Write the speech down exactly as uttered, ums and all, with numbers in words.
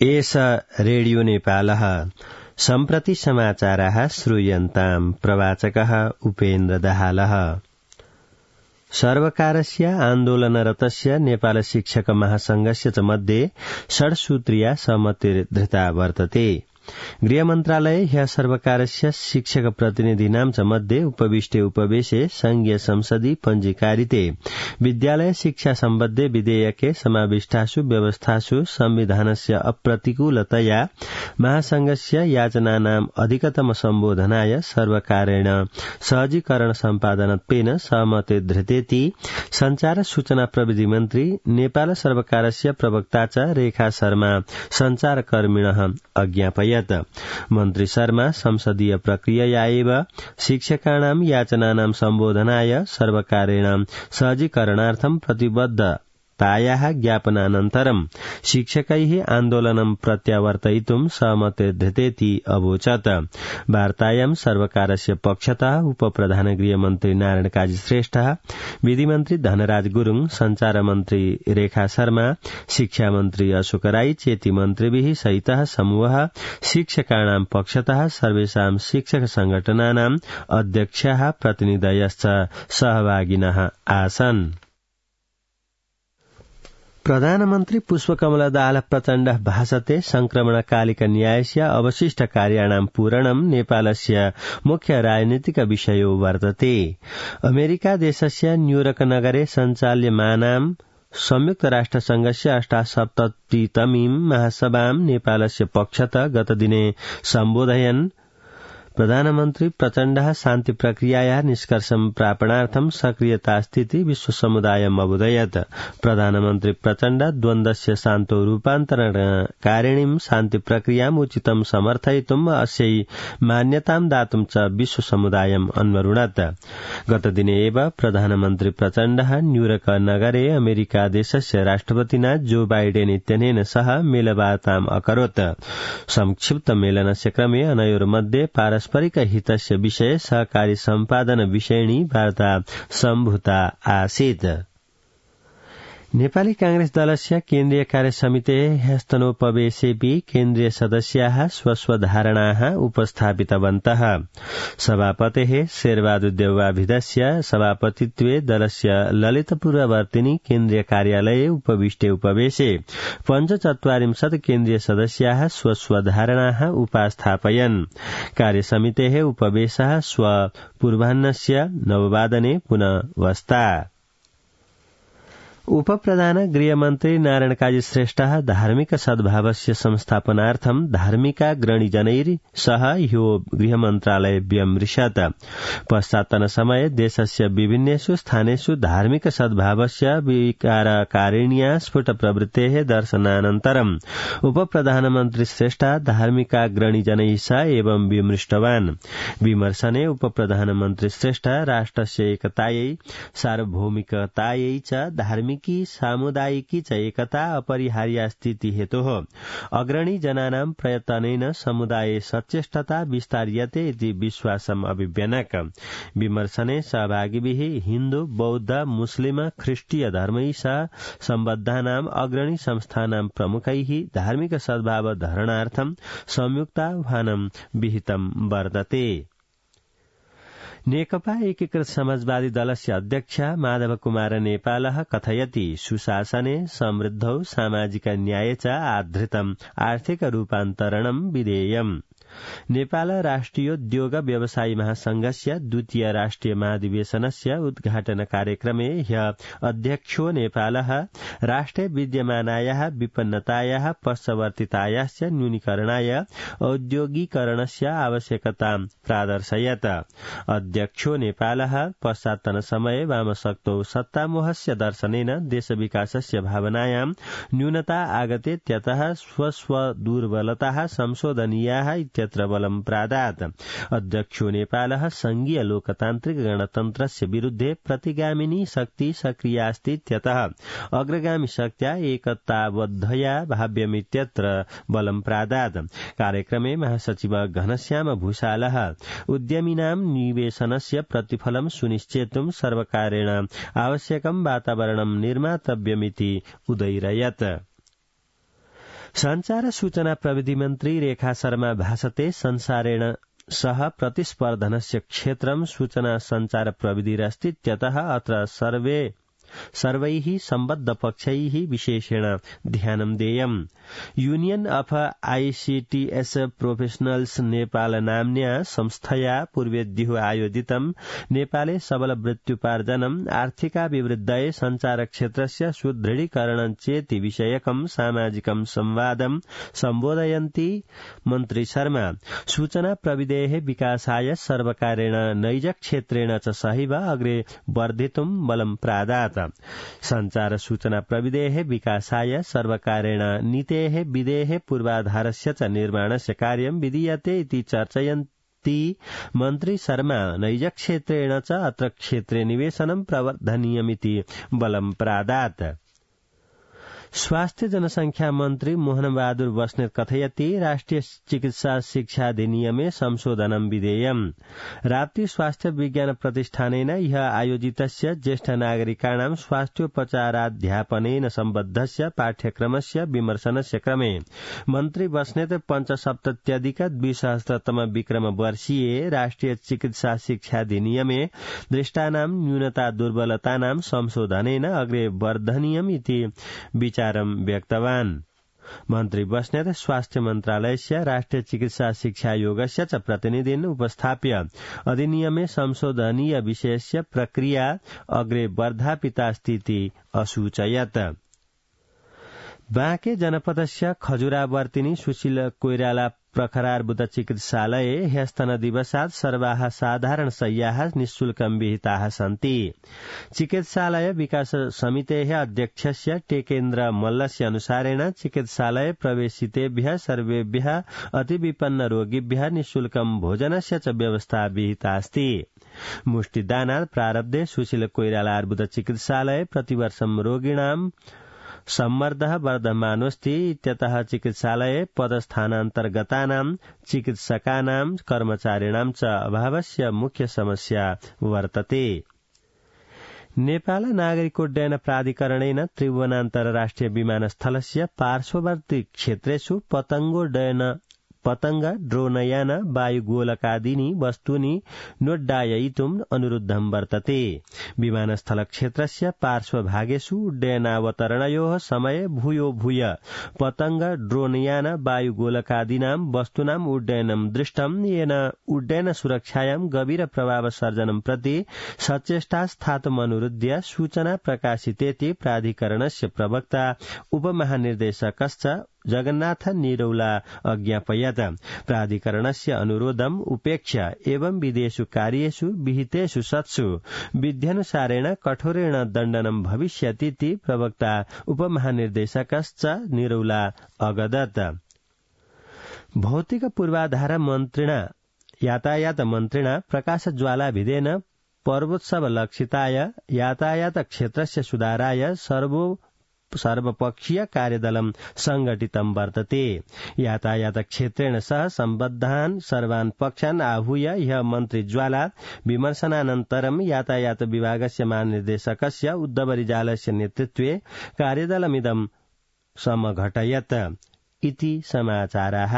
एष रेडियो नेपालः सम्प्रति समाचाराः श्रूयन्ताम् प्रवाचकः उपेन्द्र दाहालः। सर्वकारस्य आन्दोलनरतस्य नेपाल शिक्षक महासंघस्य च मध्ये षड्सूत्रीया सहमतिर्धृता वर्तते। गृहमन्त्रालये ह्यः सर्वकारस्य शिक्षक प्रतिनिधीनां च मध्ये उपविष्टे उपवेशे संघीय संसदि पञ्जीकारिते विद्यालय शिक्षा सम्बद्धे विधेयके समाविष्टासु व्यवस्थासु संविधानस्य अप्रतिकूलतया महासंघस्य याचनानाम् अधिकतम सम्बोधनाय सर्वकारेण सहजीकरण सम्पादनत्वेन सहमतिर्धृतेति संचार सूचना प्रविधि मन्त्री नेपाल सर्वकारस्य प्रवक्ता च रेखा शर्मा संचारकर्मिणः अज्ञापयत्। मन्त्री शर्मा संसदीय प्रक्रियया एव शिक्षकाणां याचनानां सम्बोधनाय सर्वकारेण सहजीकरणार्थं प्रतिबद्धतायाः ज्ञापनानन्तरं शिक्षकैः आन्दोलनं प्रत्यावर्तयितुं सहमतिर्धृतेति अवोचत्। वार्तायां सर्वकारस्य पक्षतः उपप्रधान गृहमन्त्री नारायण काजी श्रेष्ठ, विधिमन्त्री धनराज गुरुङ, संचारमन्त्री रेखा शर्मा, शिक्षामन्त्री अशोक राई चेति मन्त्रिभिः सहितः समूहः शिक्षकाणां पक्षतः सर्वेषां शिक्षक संगठनानां अध्यक्षाः प्रतिनिधयश्च सहभागिनः आसन्। प्रधानमन्त्री पुष्पकमल दाहाल प्रचण्डः भाषते संक्रमणकालिक न्यायस्य अवशिष्ट कार्याणां पूरणं नेपालस्य मुख्य राजनीतिक विषयो वर्तते। अमेरिका देशस्य न्यूयॉर्क नगरे सञ्चाल्यमानां संयुक्त राष्ट्रसंघस्य अष्टासप्ततितमीं महासभां नेपालस्य पक्षतः गतदिने सम्बोधयन् प्रधानमन्त्री प्रचण्डः शान्ति प्रक्रियायाः निष्कर्षं प्रापणार्थं सक्रियतास्थिति विश्व समुदायम् अबोधयत्। प्रधानमन्त्री प्रचण्ड द्वन्द्वस्य शान्तो रूपान्तरणकारिणीं शान्ति प्रक्रियाम् उचितं समर्थयितुम् अस्यै मान्यतां दातुं च विश्व समुदायम् अन्वरुणत्। गतदिने एव प्रधानमन्त्री प्रचण्डः न्यूयॉर्क नगरे अमेरिका देशस्य राष्ट्रपतिना जो बाइडेन इत्यनेन सह मेलवार्ताम् अकरोत्। संक्षिप्त मेलनस्य क्रमे अनयोर्मध्ये पारस्परिक हितस्य विषये सहकारी सम्पादन विषयिणी वार्ता सम्भूता आसीत्। नेपाली कांग्रेस दलस्य केन्द्रीय कार्यसमितेः ह्यस्तनोपवेशेऽपि केन्द्रीय सदस्याः स्वस्वधारणाः उपस्थापितवन्तः। सभापतेः शेरबहादुर देउवाभिधस्य सभापतित्वे दलस्य ललितपुरवर्तिनी केन्द्रीय कार्यालये उपविष्टे उपवेशे पञ्चचत्वारिंशत् केन्द्रीय सदस्याः स्वस्वधारणाः उपास्थापयन्। कार्यसमितेः उपवेशः श्व पूर्वाह्नस्य नववादने पुनः वस्ता। उपप्रधान गृहमन्त्री नारायण काजी श्रेष्ठः धार्मिक सद्भावस्य संस्थापनार्थं धार्मिकाग्रणीजनैः सह ह्यो गृहमन्त्रालये व्यमृशत्। पश्चात्तन समये देशस्य विभिन्नेषु स्थानेषु धार्मिक सद्भावस्य विकारकारिण्या स्फुट प्रवृत्तेः दर्शनानन्तरम् उपप्रधानमन्त्री श्रेष्ठः धार्मिकाग्रणीजनैः सह एवं विमृष्टवान्। विमर्शने उपप्रधानमन्त्री श्रेष्ठः राष्ट्रस्य एकतायै सार्वभौमिकतायै च धार्मिक सामुदायिकी च एकता अपरिहार्या स्थिति हेतोः अग्रणी जनानां प्रयत्नेन समुदाये सचेष्टता विस्तार्यते इति विश्वासम् अभिव्यनक। विमर्शने सहभागिभिः हिन्दू, बौद्ध, मुस्लिम, ख्रिस्टीय धर्मैः सह सम्बद्धानां अग्रणी संस्थानां प्रमुखैः धार्मिक सद्भाव धरणार्थं संयुक्ताह्वानं विहितं वर्तते। नेकपा एकीकृत समाजवादी दलस्य अध्यक्ष माधव कुमार नेपालः कथयति सुशासने समृद्धौ सामाजिक न्याये च आधृतम् आर्थिक रूपान्तरणं विधेयम्। नेपाल राष्ट्रियोद्योग व्यवसायी महासंघस्य द्वितीय राष्ट्रिय महाधिवेशनस्य उद्घाटन कार्यक्रमे ह्यः अध्यक्षो नेपालः राष्ट्रे विद्यमानायाः विपन्नतायाः पश्चवर्तितायाश्च न्यूनीकरणाय औद्योगिकरणस्य आवश्यकतां प्रादर्शयत्। अध्यक्षो नेपालः पश्चात्तन समये वामशक्तौ सत्तामोहस्य दर्शनेन देशविकासस्य भावनायां न्यूनता आगतेत्यतः स्वस्वदुर्बलताः संशोधनीयाः इत्यत्र बलं प्रादात्। अध्यक्षो नेपालः संघीय लोकतान्त्रिक गणतन्त्रस्य विरुद्धे प्रतिगामिनी शक्ति सक्रियास्ति इत्यतः अग्रगामी शक्त्या एकताबद्धया भाव्यमित्यत्र बलं प्रादात्। कार्यक्रमे महासचिव घनश्याम भूषालः उद्यमिनां निवेशनस्य प्रतिफलं सुनिश्चेतुं सर्वकारेण आवश्यकं वातावरणं निर्मातव्यमिति उदयिरयत्। संचार सूचना प्रविधि मन्त्री रेखा शर्मा भाषते संसारेण सह प्रतिस्पर्धनस्य क्षेत्रं सूचना संचार प्रविधिरस्तीत्यतः अत्र सर्वे सर्वैः सम्बद्ध पक्षैः विशेषेण ध्यानं देयम्। यूनियन अफ आईसीटीएस प्रोफेशनल्स नेपाल नाम्न्या संस्थया पूर्वेद्युः आयोजितं नेपाले सबल वृत्त्युपार्जनम् आर्थिकाभिवृद्धये संचार क्षेत्रस्य सुदृढीकरणं चेति विषयकं सामाजिकं संवादं सम्बोधयन्ती मन्त्री शर्मा सूचना प्रविधेः विकासाय सर्वकारेण नैजक्षेत्रेण च सहैव अग्रे वर्धितुं बलं प्रादात्। संचार सूचना प्रविधेः विकासाय सर्वकारेण नीतेः विधेः पूर्वाधारस्य च निर्माणस्य कार्यं विधीयते इति चर्चयन्ती मन्त्री शर्मा नैजक्षेत्रेण च अत्र क्षेत्रे निवेशनं प्रवर्धनीयमिति बलं प्रादात्। स्वास्थ्य जनसंख्या मन्त्री मोहन बहादुर बस्नेत कथयति राष्ट्रिय चिकित्सा शिक्षा अधिनियमे संशोधनं विधेयम्। राप्ती स्वास्थ्य विज्ञान प्रतिष्ठानेन ह्यः आयोजितस्य ज्येष्ठ नागरिकाणां स्वास्थ्योपचाराध्यापनेन सम्बद्धस्य पाठ्यक्रमस्य विमर्शनस्य क्रमे मन्त्री बस्नेत पञ्चसप्तत्यधिक द्विसहस्रतम विक्रम वर्षीये राष्ट्रिय चिकित्सा शिक्षा अधिनियमे दृष्टानां न्यूनता दुर्बलतानां संशोधनेन अग्रे वर्धनीयम् इति विचार व्यक्तवान्। मन्त्री बस्नेत स्वास्थ्य मन्त्रालयस्य राष्ट्रिय चिकित्सा शिक्षा योगस्य च प्रतिनिधिन् उपस्थाप्य अधिनियमे संशोधनीय विषयस्य प्रक्रिया अग्रे वर्धापितास्तीति असूचयत्। बाँके जनपदस्य खजुरावर्तिनी सुशील कोइराला प्रखरार्बुद चिकित्सालये ह्यस्तन दिवसात् सर्वाः साधारण शय्याः निःशुल्कं विहिताः सन्ति। चिकित्सालय विकास समितेः अध्यक्षस्य टेकेन्द्र मल्लस्य अनुसारेण चिकित्सालये प्रवेशितेभ्यः सर्वेभ्यः अतिविपन्न रोगिभ्यः निःशुल्कं भोजनस्य च व्यवस्था विहिता अस्ति। मुष्टिदानात् प्रारब्धे सुशील कोइराला अर्बुद चिकित्सालये प्रतिवर्षं रोगिणां सम्मर्दः वर्धमानोऽस्ति इत्यतः चिकित्सालये पदस्थानान्तर्गतानां चिकित्सकानां कर्मचारिणां च अभावस्य मुख्य समस्या वर्तते। नेपाल नागरिकोड्डयन प्राधिकरणेन त्रिभुवनान्तर्राष्ट्रिय विमानस्थलस्य पार्श्ववर्ती क्षेत्रेषु पतंगोड्डयन पतंग ड्रोनयान वायुगोलकादीनि वस्तूनि नोड्डाययितुम् अनुरुद्धं वर्तते। विमानस्थल क्षेत्रस्य पार्श्वभागेषु उड्डयनावतरणयोः समये भूयो भूय पतंग ड्रोनयान वायुगोलकादीनां वस्तूनाम् उड्डयनं दृष्टम्, येन उड्डयन सुरक्षायां गभीर प्रभाव सर्जनं प्रति सचेष्टा स्थातुमनुरुध्य सूचना प्रकाशितेति प्राधिकरणस्य प्रवक्ता उपमहानिर्देशकश्च जगन्नाथ निरौला अज्ञापयत्। प्राधिकरणस्य अनुरोधम् उपेक्ष्य एवं विधेषु कार्येषु विहितेषु सत्सु विध्यनुसारेण कठोरेण दण्डनं भविष्यतीति प्रवक्ता उपमहानिर्देशकश्च निरौला अगदत्। भौतिक पूर्वाधार मन्त्रिणा यातायात मन्त्रिणा प्रकाश ज्वालाभिधेन पर्वोत्सव लक्षिताय यातायात क्षेत्रस्य सुधाराय सर्वो सर्वपक्षीय कार्यदलं संघटितं वर्तते। यातायात क्षेत्रेण सह सम्बद्धान् सर्वान् पक्षान् आहूय ह्यः मन्त्री ज्वाला विमर्शनानन्तरं यातायात विभागस्य महानिर्देशकस्य उद्धव रिजालस्य नेतृत्वे कार्यदलमिदं समघटयत् इति समाचाराः।